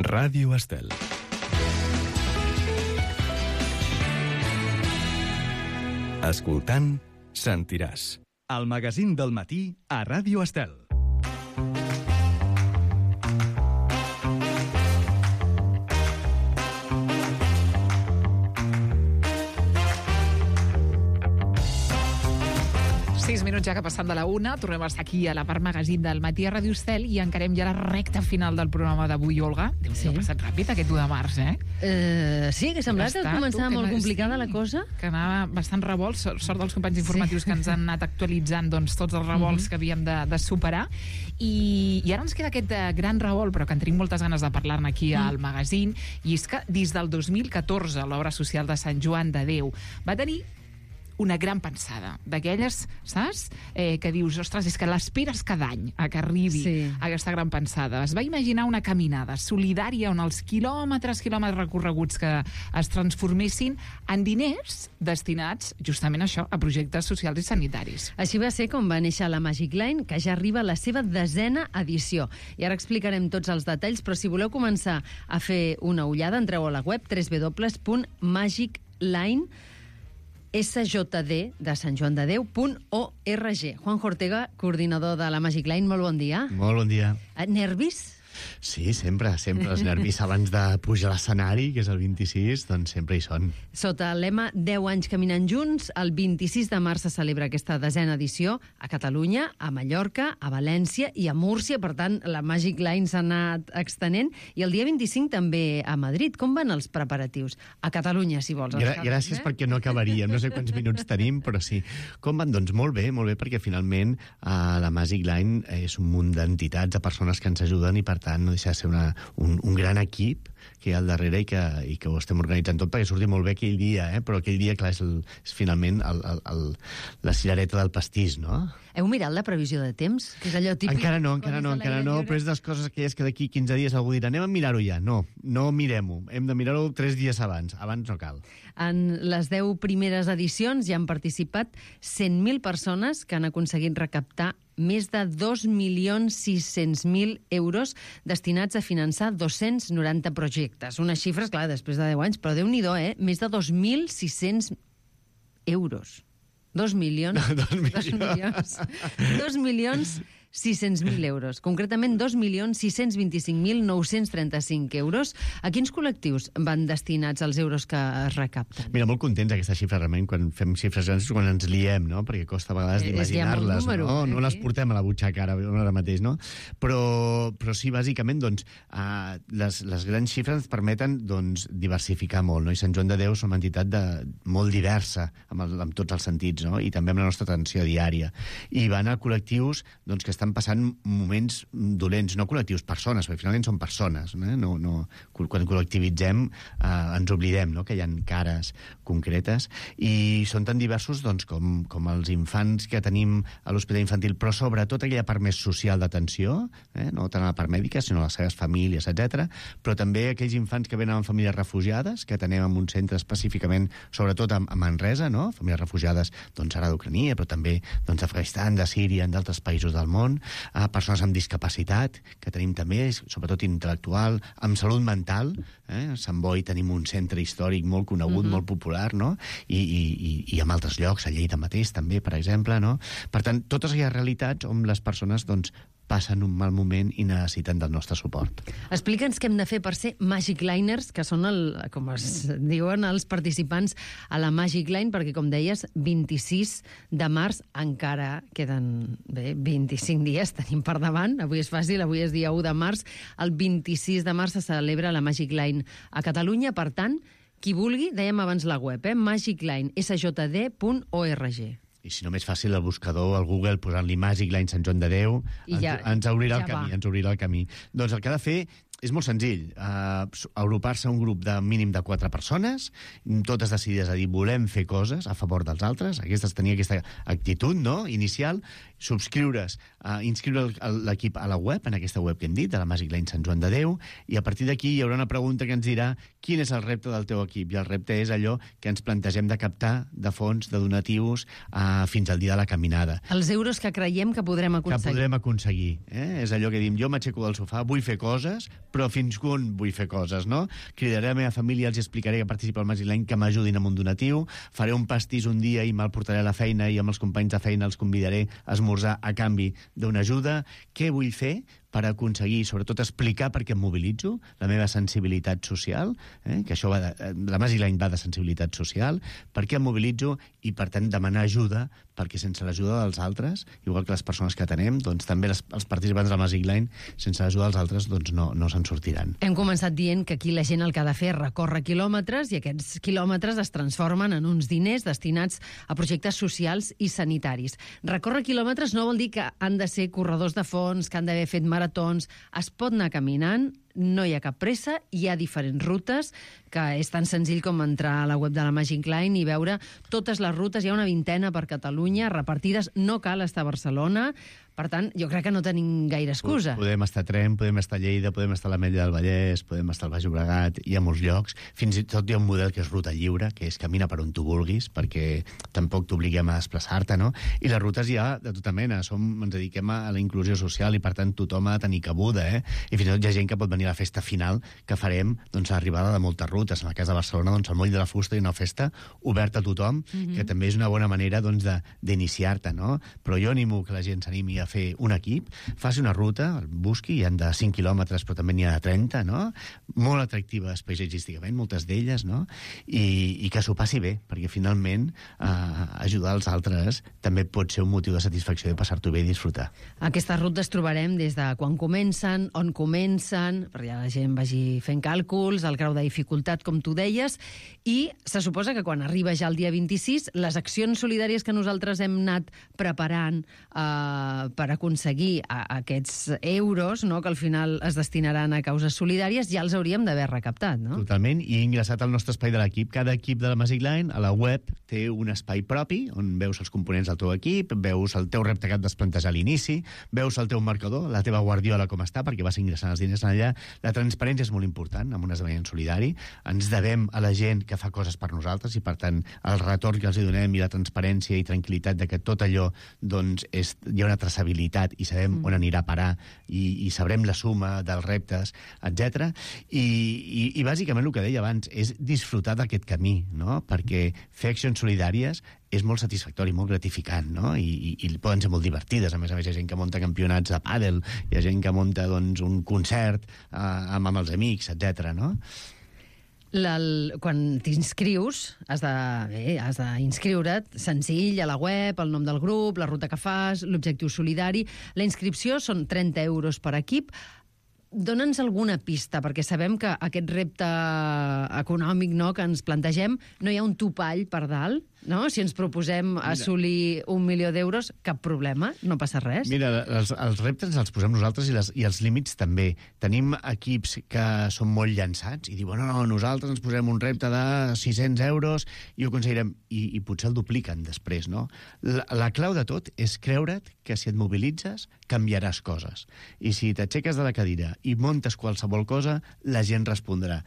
Ràdio Estel. Escoltant, sentiràs. El magazín del matí a Ràdio Estel. Minuts ja que passant de la 1, tornem a estar aquí a la part magazín del matí a Ràdio Estel i encarem ja la recta final del programa d'avui, Olga. Déu-n'hi-do, ha passat ràpid aquest 1 de març, Sí, que semblava que començava molt complicada la cosa. Que anava bastant revolts, sort dels companys informatius que ens han anat actualitzant tots els revolts que havíem de superar. I ara ens queda aquest gran revolt, però que en tenim moltes ganes de parlar-ne aquí al magazín, i és que des del 2014 l'obra social de Sant Joan de Déu va tenir una gran pensada, d'aquelles, saps? Que dius, ostres, és que l'esperes cada any a que arribi aquesta gran pensada. Es va imaginar una caminada solidària on els quilòmetres recorreguts que es transformessin en diners destinats justament a això, a projectes socials i sanitaris. Així va ser com va néixer la Magic Line, que ja arriba a la seva 10ª edició. I ara explicarem tots els detalls, però si voleu començar a fer una ullada, entreu a la web www.magicline.org. Juanjo Ortega, coordinador de la Magic Line, molt bon dia. Molt bon dia. Nervis? Sí, sempre els nervis abans de pujar a l'escenari, que és el 26, doncs sempre hi són. Sota el lema 10 anys caminant junts, el 26 de març se celebra aquesta 10ª edició a Catalunya, a Mallorca, a València i a Múrcia. Per tant, la Magic Line s'ha anat extenent. I el dia 25 també a Madrid. Com van els preparatius? A Catalunya, si vols. Gràcies, perquè no acabaríem. No sé quants minuts tenim, però sí. Com van? Doncs molt bé, perquè finalment la Magic Line és un munt d'entitats, de persones que ens ajuden, i per tant no deixa de ser un gran equip que hi ha al darrere i que ho estem organitzant tot perquè surti molt bé aquell dia, però aquell dia, clar, és finalment la cirereta del pastís, no? Heu mirat la previsió de temps? Que és allò típic? Encara no, però és des coses aquelles que d'aquí 15 dies algú dirà anem a mirar-ho ja. No mirem-ho. Hem de mirar-ho 3 dies abans. Abans no cal. En les 10 primeres edicions hi han participat 100.000 persones que han aconseguit recaptar més de 2.600.000 euros destinats a finançar 290 projectes. Unes xifres, clar, després de 10 anys, però Déu-n'hi-do, Més de 2.600 euros. 2.600.000 euros. Concretament, 2.625.935 euros. A quins col·lectius van destinats els euros que es recapten? Mira, molt contents aquesta xifra, realment, quan fem xifres grans, quan ens liem, no? Perquè costa a vegades d'imaginar-les, no? No les portem a la butxaca ara mateix, no? Però sí, bàsicament, doncs, les grans xifres ens permeten, doncs, diversificar molt, no? I Sant Joan de Déu és una entitat molt diversa, amb tots els sentits, no? I també amb la nostra atenció diària. I van a col·lectius, doncs, que estan passant moments dolents, no col·lectius, persones, perquè finalment són persones, quan col·lectivitzem ens oblidem, no? Que hi ha cares concretes, i són tan diversos, doncs, com els infants que tenim a l'Hospital Infantil, però sobretot aquella part més social d'atenció, no tant a la part mèdica, sinó a les seves famílies, etc. Però també aquells infants que venen amb famílies refugiades, que tenim en un centre específicament, sobretot a Manresa, no? Famílies refugiades, doncs, ara d'Ucrania, però també d'Afganistan, de Síria, d'altres països del món, a persones amb discapacitat, que tenim també, sobretot intel·lectual, amb salut mental. A Sant Boi tenim un centre històric molt conegut, molt popular, no? I en altres llocs, a Lleida mateix també, per exemple, no? Per tant, totes aquelles realitats on les persones, doncs, passen un mal moment i necessiten del nostre suport. Explica'ns què hem de fer per ser Magic Liners, que són, com es diuen, els participants a la Magic Line, perquè, com deies, 26 de març encara queden 25 dies, tenim per davant. Avui és fàcil, avui és dia 1 de març. El 26 de març se celebra la Magic Line a Catalunya. Per tant, qui vulgui, dèiem abans la web, magicline.sjd.org. I si no, més fàcil, el buscador, al Google, posant-li Magic Line Sant Joan de Déu, ens obrirà el camí. Doncs el que ha de fer és molt senzill, agrupar-se un grup de mínim de 4 persones, totes decidides a dir volem fer coses a favor dels altres, tenir aquesta actitud, no?, inicial, subscriure's, inscriure l'equip a la web, en aquesta web que hem dit, de la Magic Line Sant Joan de Déu, i a partir d'aquí hi haurà una pregunta que ens dirà quin és el repte del teu equip, i el repte és allò que ens plantegem de captar de fons, de donatius, fins al dia de la caminada. Els euros que creiem que podrem aconseguir. Que podrem aconseguir. És allò que diem, jo m'aixeco del sofà, vull fer coses, però fins quan vull fer coses, no? Cridaré a la meva família, els explicaré que participa al Magic Line, que m'ajudin amb un donatiu, faré un pastís un dia i me'l portaré a la feina i amb els companys de feina els convidaré a esmorzar a canvi d'una ajuda. Què vull fer per aconseguir, sobretot, explicar per què em mobilitzo, la meva sensibilitat social, que això va la Magic Line va de sensibilitat social, per què em mobilitzo i, per tant, demanar ajuda, perquè sense l'ajuda dels altres, igual que les persones que atenem, doncs també els participants de la Magic Line, sense l'ajuda dels altres, doncs no se'n sortiran. Hem començat dient que aquí la gent el que ha de fer és recórrer quilòmetres i aquests quilòmetres es transformen en uns diners destinats a projectes socials i sanitaris. Recórrer quilòmetres no vol dir que han de ser corredors de fons, que han d'haver fet maratons. Es pot anar caminant, no hi ha cap pressa, hi ha diferents rutes, que és tan senzill com entrar a la web de la Magic Line i veure totes les rutes. Hi ha una 20 per Catalunya, repartides, no cal estar a Barcelona. Per tant, jo crec que no tenim gaire excusa. Podem estar a Tremp, podem estar a Lleida, podem estar a l'Ametlla del Vallès, podem estar al Baix Llobregat, hi ha molts llocs. Fins i tot hi ha un model que és ruta lliure, que és camina per on tu vulguis, perquè tampoc t'obliguem a desplaçar-te, no? I les rutes hi ha de tota mena. Ens dediquem a la inclusió social i, per tant, tothom ha de tenir cabuda, I fins i tot hi ha gent que pot venir a la festa final que farem, doncs, a l'arribada de moltes rutes. En el cas de Barcelona, doncs, al Moll de la Fusta hi ha una festa oberta a tothom, que també és una bona manera, doncs, d'iniciar-te, no? Però jo animo que la gent s'animi a fer un equip, faci una ruta, el busqui, hi ha de 5 quilòmetres, però també n'hi ha de 30, no? Molt atractives paisatgísticament, moltes d'elles, no? I que s'ho passi bé, perquè finalment ajudar els altres també pot ser un motiu de satisfacció de passar-t'ho bé i disfrutar. Aquestes rutes trobarem des de quan comencen, on comencen, perquè ja la gent vagi fent càlculs, el grau de dificultat, com tu deies, i se suposa que quan arriba ja el dia 26, les accions solidàries que nosaltres hem anat preparant per aconseguir aquests euros, no?, que al final es destinaran a causes solidàries, ja els hauríem d'haver recaptat, no? Totalment, i ingressat al nostre espai de l'equip. Cada equip de la Magic Line, a la web, té un espai propi, on veus els components del teu equip, veus el teu repte que et vas plantejar a l'inici, veus el teu marcador, la teva guardiola com està, perquè vas ingressant els diners allà. La transparència és molt important en un esdeveniment solidari. Ens devem a la gent que fa coses per nosaltres i, per tant, el retorn que els donem i la transparència i tranquil·litat de que tot allò, doncs, hi ha una traçabilitat i sabem on anirà a parar i sabrem la suma dels reptes, etc. I bàsicament el que deia abans és disfrutar d'aquest camí, no? Perquè fer accions solidàries és molt satisfactori, molt gratificant, no? I poden ser molt divertides. A més, hi ha gent que munta campionats de pàdel, hi ha gent que munta, doncs, un concert amb els amics, etc. no? Quan t'inscrius, has d'inscriure't senzill a la web, el nom del grup, la ruta que fas, l'objectiu solidari. La inscripció són 30 euros per equip. Dóna'ns alguna pista, perquè sabem que aquest repte econòmic, no?, que ens plantegem, no hi ha un topall per dalt, no? Si ens proposem assolir 1 milió d'euros, cap problema, no passa res. Mira, els reptes els posem nosaltres i els límits també. Tenim equips que són molt llançats i diuen, no, nosaltres ens posem un repte de 600 euros i ho aconseguirem. I potser el dupliquen després, no? La clau de tot és creure't que si et mobilitzes canviaràs coses. I si t'aixeques de la cadira i montes qualsevol cosa, la gent respondrà.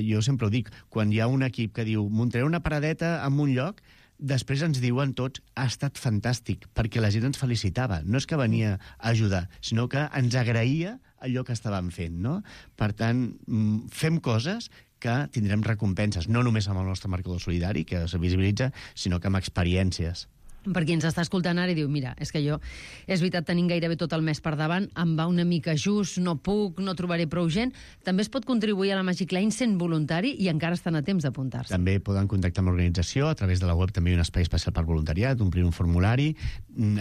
Jo sempre ho dic, quan hi ha un equip que diu muntaré una paradeta en un lloc, després ens diuen tots, ha estat fantàstic, perquè la gent ens felicitava. No és que venia a ajudar, sinó que ens agraïa allò que estàvem fent, no? Per tant, fem coses que tindrem recompenses, no només amb el nostre marcador solidari, que es visibilitza, sinó que amb experiències. Per qui ens està escoltant ara i diu, mira, és que jo, és veritat, tenim gairebé tot el mes per davant, em va una mica just, no puc, no trobaré prou gent. També es pot contribuir a la Magic Line sent voluntari i encara estan a temps d'apuntar-se. També poden contactar amb l'organització, a través de la web també hi ha un espai especial per voluntariat, omplir un formulari.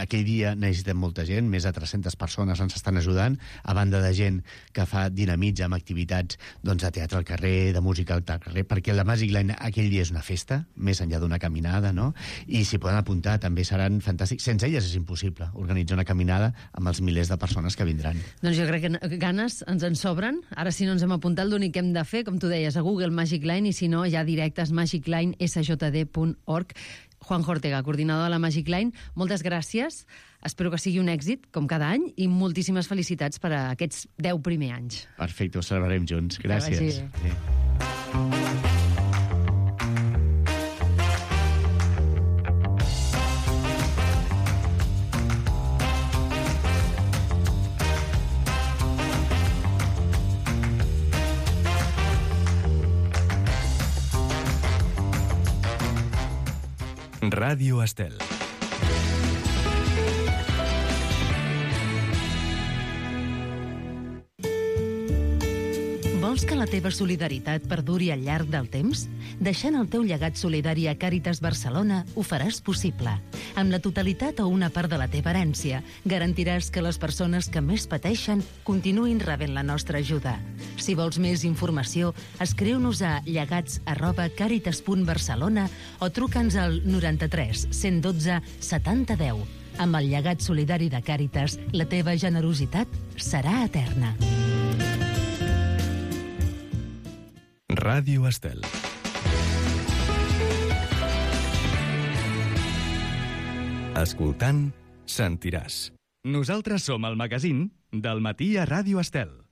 Aquell dia necessitem molta gent, més de 300 persones ens estan ajudant, a banda de gent que fa dinamitza amb activitats, doncs, de teatre al carrer, de música al carrer, perquè la Magic Line aquell dia és una festa, més enllà d'una caminada, no? I s'hi poden apuntar, també seran fantàstics. Sense elles és impossible organitzar una caminada amb els milers de persones que vindran. Doncs jo crec que ganes ens en sobren. Ara, si no ens hem apuntat, l'únic que hem de fer, com tu deies, a Google Magic Line, i si no, ja directes magiclinesjd.org. Juan Ortega, coordinador de la Magic Line, moltes gràcies. Espero que sigui un èxit, com cada any, i moltíssimes felicitats per a aquests 10 primers anys. Perfecte, ho celebrarem junts. Gràcies. Ràdio Estel. Vols que la teva solidaritat perduri al llarg del temps? Deixant el teu llegat solidari a Càritas Barcelona ho faràs possible. Amb la totalitat o una part de la teva herència, garantiràs que les persones que més pateixen continuïn rebent la nostra ajuda. Si vols més informació, escriu-nos a llegats@caritas.barcelona o truca'ns al 93 112 70 10. Amb el llegat solidari de Càritas, la teva generositat serà eterna. Ràdio Estel. Escoltant, sentiràs. Nosaltres som el magazín del matí a Ràdio Estel.